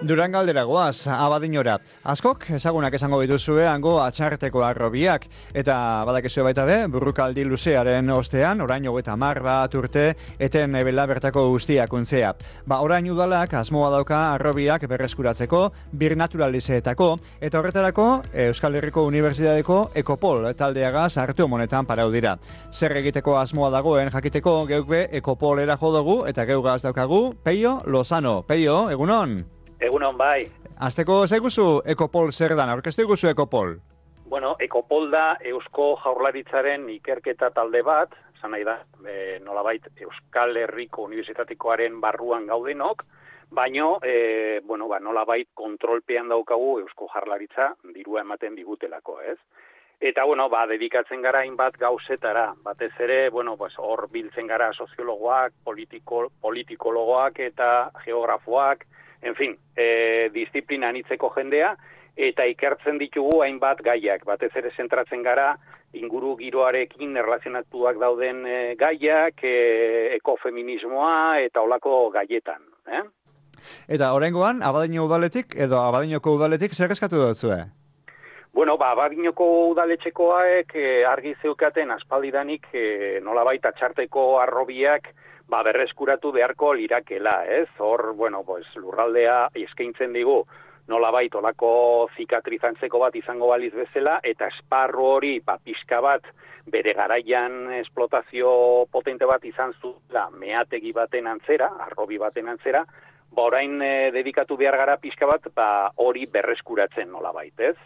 Durangaldera goaz, Abadiñora. Askok ezagunak esango dituzue hango atxarteko arrobiak, eta badakizue baita be, burrukaldi luzearen ostean, orain 30 bat urte, eten ebela bertako guztiak untzea. Orain udalak asmoa dauka arrobiak berreskuratzeko, birnaturalizeetako, eta horretarako Euskal Herriko Unibertsitateko Ekopol taldeagaz hartu monetan parau dira. Zer egiteko asmoa dagoen jakiteko geukbe Ekopolera jodogu, eta geugaz daukagu Peio Lozano. Peio, egunon? Egunon bai. Azteko zeiguzu Ekopol zer dan, aurkeztu iguzu Ekopol? Bueno, Ekopol da Eusko Jaurlaritzaren ikerketa talde bat, esan nahi da, nolabait Euskal Herriko Unibertsitatekoaren barruan gaudenok, baino, nolabait kontrolpean daukagu Eusko Jaurlaritza dirua ematen digutelako, ez? Eta, dedikatzen gara hainbat gauzetara, batez ere, hor biltzen gara soziologoak, politikologoak eta geografoak, en fin, disiplina anitzeko jendea, eta ikertzen ditugu hainbat gaiak, batez ere zentratzen gara inguru giroarekin erlazionatuak dauden gaiak, ekofeminismoa eta olako gaietan. Eta oraingoan Abadiño udaletik edo Abadiñoko udaletik zer eskatu dutzue? Abadiñoko udaletxekoak argi zeukaten aspaldidanik nolabait atxarteko arrobiak berreskuratu beharko lirakela, ez? Hor, lurraldea eskaintzen digu nolabait olako zikatrizantzeko bat izango baliz bezala, eta esparru hori pixka bat bere garaian esplotazio potente bat izan zuela meategi baten antzera, arrobi baten antzera, orain dedikatu behar gara pixka bat hori berreskuratzen nolabait, ez?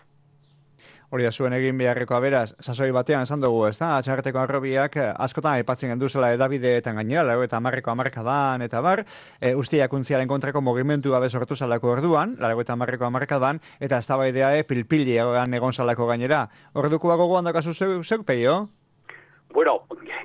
Hori da zuen egin beharrekoa beraz, sasoi batean esan dugu, ez da? Atxarteko arrobiak askotan aipatzen genduzela edabideetan gainera, eta hamarkadan, eta bar, ustiak untziaren kontrako mugimendu babe sortu zalako orduan, eta hamarkadan, eta eztabaidea pilpili egon zalako gainera. Ordukoa gogoan dakazu zeuk, Peio?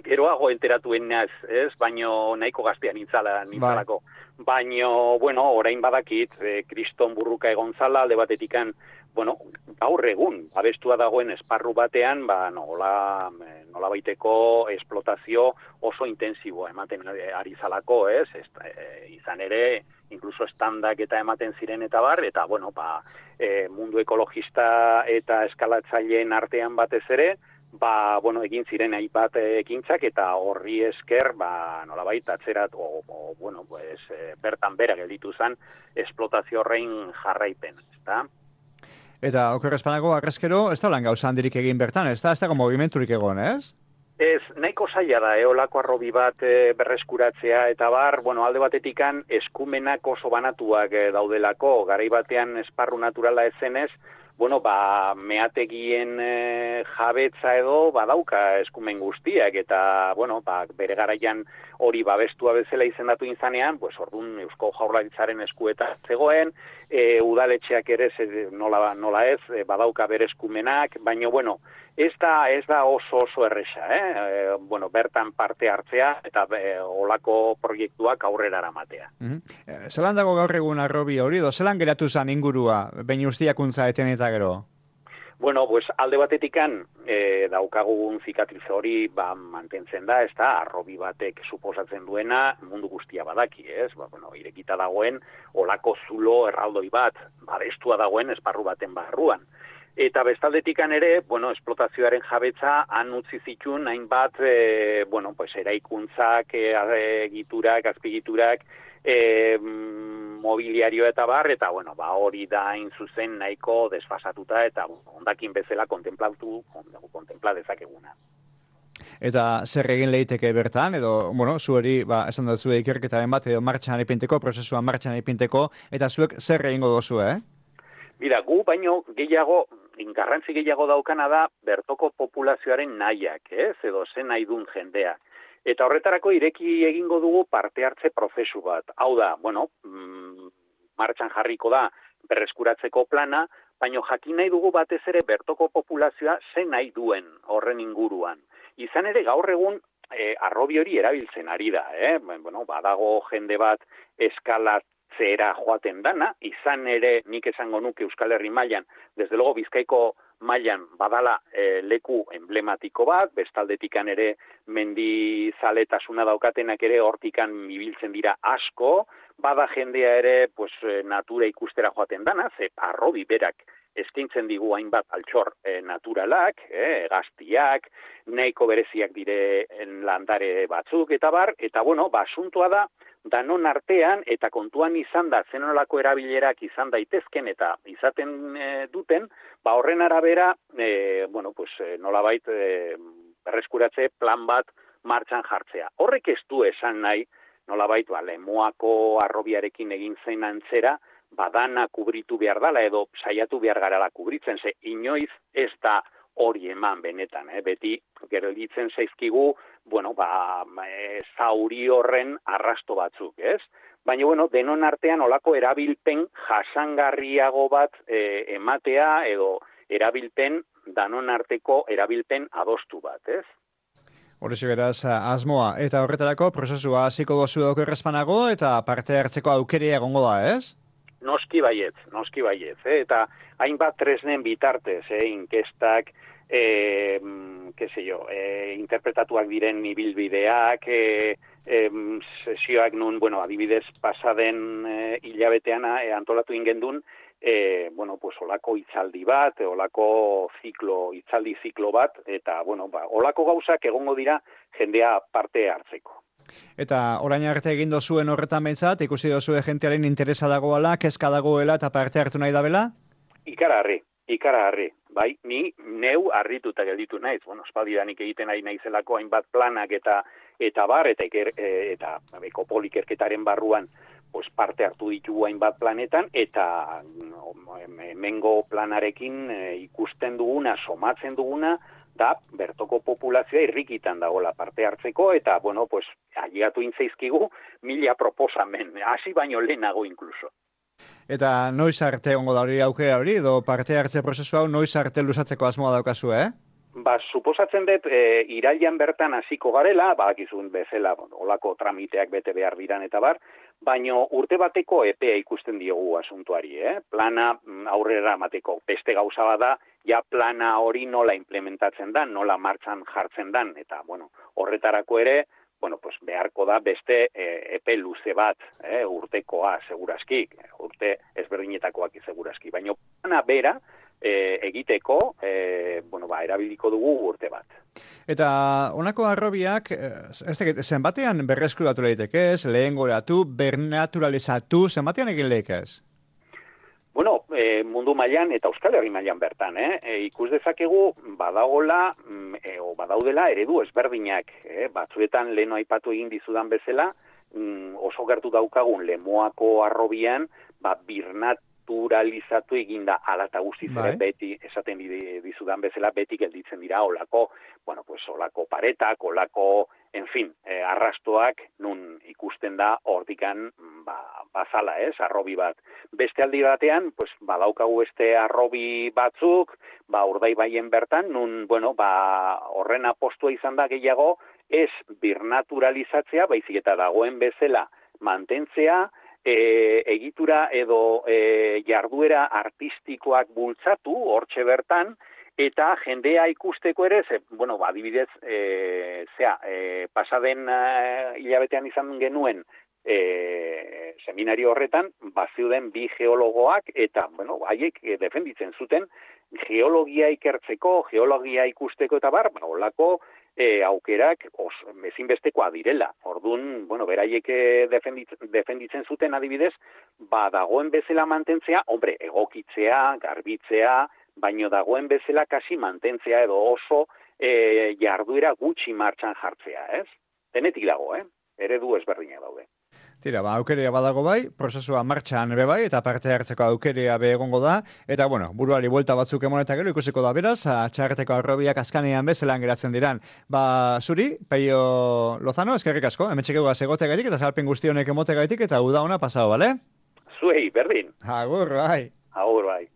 Geroago enteratuen naz, ez? Baino nahiko gaztean nintzalako. Baino, orain badakit, kriston burruka egon zala, alde batetikan, gaur egun, abestua dagoen esparru batean, nola baiteko esplotazio oso intensiboa ematen ari zalako, ez? Izan ere, inkluso estandak eta ematen ziren eta bar, eta, mundu ekologista eta eskalatzaileen artean batez ere, egin ziren hainbat ekintzak eta horri esker, nolabait atzerat, bertan bera gelditu zen esplotazio horrein jarraipen, ezta? Eta okerrezpanago arrezkero, ez da lan gauza handirik egin bertan, ez dago movimenturik egon, ez? Ez, nahiko zaila da, olako arrobi bat berreskuratzea, eta bar, alde batetikan eskumenak oso banatuak daudelako, garai batean esparru naturala ezenez, meategien jabetza edo badauka eskumen guztiak, eta, bere garaian hori babestua bezala izendatu izanean, orduan Eusko Jaurlaritzaren eskueta zegoen, udaletxeak ere nola ez, badauka bere eskumenak, baina, ez da oso erresa, bertan parte hartzea eta olako proiektuak aurrera eramatea. Zelan dago gaur egun arrobi hori, zelan geratu zen ingurua, behin ustiakuntza eten eta gero? Alde batetikan daukagun zikatriz hori mantentzen da, ez da, arrobi batek suposatzen duena mundu guztia badaki, ez? Irekita dagoen olako zulo erraldoi bat, babestua dagoen esparru baten barruan. Eta bestaldetikan ere, esplotazioaren jabetza han utzi zituen hainbat, eraikuntzak, egiturak, azpigiturak, mobiliario eta bar, eta hori da hain zuzen nahiko desfasatuta eta hondakin bezala kontempla dezakeguna. Eta zer egin leiteke bertan, edo, zueri, esan dut zue ikerketaren bat, edo martxan ipinteko, prozesuan martxan ipinteko, eta zuek zer egingo dozu, Mira, gu baino garrantzi gehiago daukana da bertoko populazioaren nahiak, edo zen nahi duen jendea. Eta horretarako ireki egingo dugu parte hartze prozesu bat. Hau da, martxan jarriko da berreskuratzeko plana, baina jakin nahi dugu batez ere bertoko populazioa zen nahi duen horren inguruan. Izan ere gaur egun arrobi hori erabiltzen ari da, badago jende bat eskalatzera joaten dana, izan ere nik esango nuke Euskal Herri mailan, desde luego Bizkaiko mailan badala leku emblematiko bat, bestaldetikan ere mendizaletasuna daukatenak ere hortikan ibiltzen dira asko, bada jendea ere pues, natura ikustera joaten dana, ze Harrobi berak eskaintzen digu hainbat altxor naturalak, gaztiak, nahiko bereziak diren landare batzuk, eta bar, eta bueno, asuntoa da, danon artean, eta kontuan izan da, zenolako erabilerak izan daitezken, eta izaten duten, horren arabera, nolabait, berreskuratze plan bat martxan jartzea. Horrek ez du esan nahi, nolabait, Lemoako Harrobiarekin egin zen antzera, badana kubritu behar dala edo saiatu behar garala kubritzen, ze inoiz ez da hori eman benetan, beti gelditzen zaizkigu, zauri horren arrasto batzuk, ez? Baina, denon artean olako erabilpen jasangarriago bat ematea edo erabilpen, danon arteko erabilpen adostu bat, ez? Horrezi beraz, asmoa, eta horretarako prozesua hasiko dozu dauk errezpanago eta parte hartzeko aukerea egongo da, ez? Noski baietz, eta hainbat tresnen bitartez, inkestak, interpretatuak diren ibilbideak, sesioak nun, adibidez pasaden hilabetean antolatu ingendun, olako hitzaldi bat, olako hitzaldi ziklo bat, eta, olako gauzak egongo dira jendea parte hartzeko. Eta orain arte egin dozuen horretan behintzat, ikusi dozue jentearen interesa dagoela, kezka dagoela eta parte hartu nahi dabela? Ikaragarri. Bai, ni neu harrituta gelditu naiz. Espaldidanik egiten ari naizelako hainbat planak eta Ekopol ikerketaren barruan parte hartu ditugu hainbat planetan, eta hemengo planarekin ikusten duguna, somatzen duguna, da bertoko populazioa irrikitan dagoela parte hartzeko, eta, ailegatu intzaizkigu 1000 proposamen, hasi baino lehenago inkluso. Eta noiz arte ongo da hori aukera hori, edo parte hartze prozesu hau noiz arte luzatzeko asmoa daukazu, Suposatzen dut, irailean bertan hasiko garela, badakizun bezala, olako tramiteak bete behar diran eta bar, baino urte bateko epea ikusten diogu asuntuari, Plana aurrera emateko beste gauza bada, ja plana hori nola implementatzen dan, nola martxan jartzen dan, eta, horretarako ere, beharko da beste epe luze bat, urtekoa segurazki, urte ezberdinetakoak seguraski, baino plana bera, egiteko, erabiliko dugu urte bat. Eta honako Harrobiak, zenbatean berreskuratu daiteke ez, lehengoratu, bernaturalizatu, zenbatean egin lehikez? Mundu mailan eta Euskal Herri mailan bertan, ikus dezakegu badaudela eredu ezberdinak, batzuetan leheno aipatu egin dizudan bezala, oso gertu daukagun Lemoako Harrobian, birnaturalizatu eginda ala eta guztiz ere beti, esaten dizudan bezala, beti gelditzen dira olako paretak, olako, arrastoak nun ikusten da hortikan bazala, harrobi bat. Beste aldi batean, badaukagu harrobi batzuk, Urdaibaien bertan, nun, horren apostua izan da gehiago, ez birnaturalizatzea, baizik eta dagoen bezala mantentzea, egitura edo jarduera artistikoak bultzatu, hortxe bertan, eta jendea ikusteko ere, adibidez, pasaden hilabetean izan genuen seminario horretan, baziuden bi geologoak, eta, haiek defenditzen zuten, geologia ikertzeko, geologia ikusteko eta bar, olako aukerak ezinbestekoa direla. Orduan, beraiek defenditzen zuten adibidez, dagoen bezala mantentzea, egokitzea, garbitzea, baino dagoen bezala kasi mantentzea edo oso jarduera gutxi martxan jartzea, ez? Denetik dago, eredu ezberdinak daude. Tira, aukerea badago bai, prozesua martxan ere bai, eta parte hartzeko aukerea be egongo da, eta, buruari buelta batzuk emoneta gero ikusiko da beraz, txarreteko Harrobiak azkanean bezelan geratzen diran. Zuri, Peio Lozano, eskerrik asko, hemetxek egua segote gaitik, eta salpen guzti honek emote gaitik, eta uda ona pasao, bale? Zuei, berdin. Agur, bai. Agur, bai.